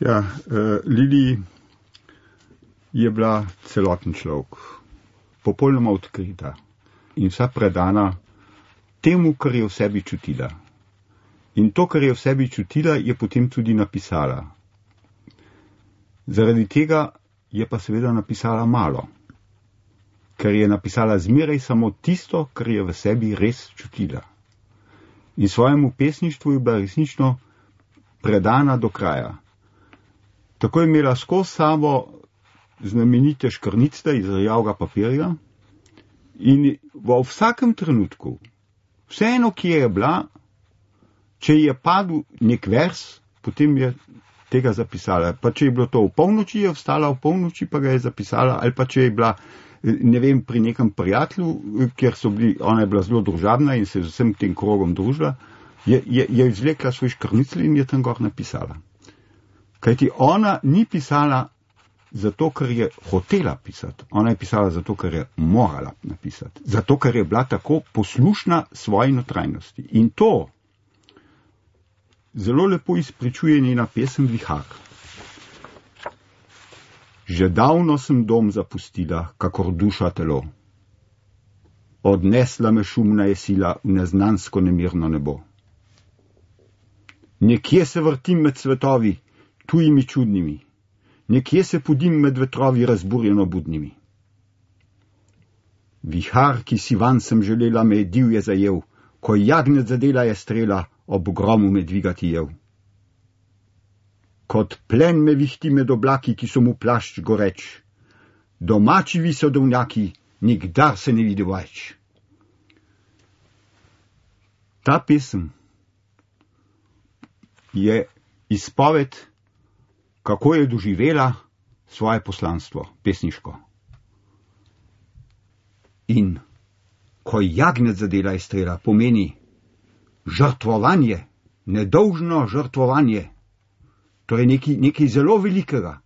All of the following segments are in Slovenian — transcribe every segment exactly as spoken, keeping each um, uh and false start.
Ja, uh, Lili je bila celoten človek, popolnoma odkrita in vsa predana temu, kar je v sebi čutila. In to, kar je v sebi čutila, je potem tudi napisala. Zaradi tega je pa seveda napisala malo, ker je napisala zmeraj samo tisto, kar je v sebi res čutila. In svojemu pesništvu je bila resnično predana do kraja. Tako je imela skozi sabo znamenite škrnice iz rjavega papirja in v vsakem trenutku, vseeno, kje je bila, če je padel nek vers, potem je tega zapisala. Pa če je bilo to v polnoči, je vstala v polnoči, pa ga je zapisala, ali pa če je bila, ne vem, pri nekem prijatelju, kjer so bili, ona je bila zelo družabna in se z vsem tem krogom družila, je, je, je izvlekla svoj škrnicl in je tam gor napisala. Kajti ona ni pisala zato, ker je hotela pisati. Ona je pisala zato, ker je morala napisati. Zato, ker je bila tako poslušna svoji notranjosti. In to zelo lepo izpričuje njena pesem Vihar. Že davno sem dom zapustila, kakor duša telo. Odnesla me šumna je sila v neznansko nemirno nebo. Nekje se vrtim med svetovi, tujimi čudnimi, nekje se podim med vetrovi razburjeno budnimi. Vihar, ki si van sem želela, me je divje zajel, ko jagnec zadela je strela, ob gromu me dvigati jev. Kot plen me vihti med oblaki, ki so mu plašč goreč. Domači visodovnjaki, nikdar se ne vidi več. Ta pesem je izpoved, kako je doživela svoje poslanstvo, pesniško. In ko jagnec zadela je strela, pomeni žrtvovanje, nedolžno žrtvovanje. To je nekaj, nekaj zelo velikega.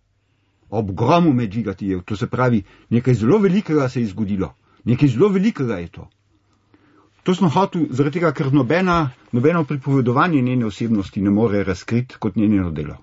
Ob gromu me dvigati je, to se pravi, nekaj zelo velikega se je zgodilo. Nekaj zelo velikega je to. To sem hotel, zaradi tega, ker nobena, nobeno pripovedovanje njene osebnosti ne more razkriti kot njeno delo.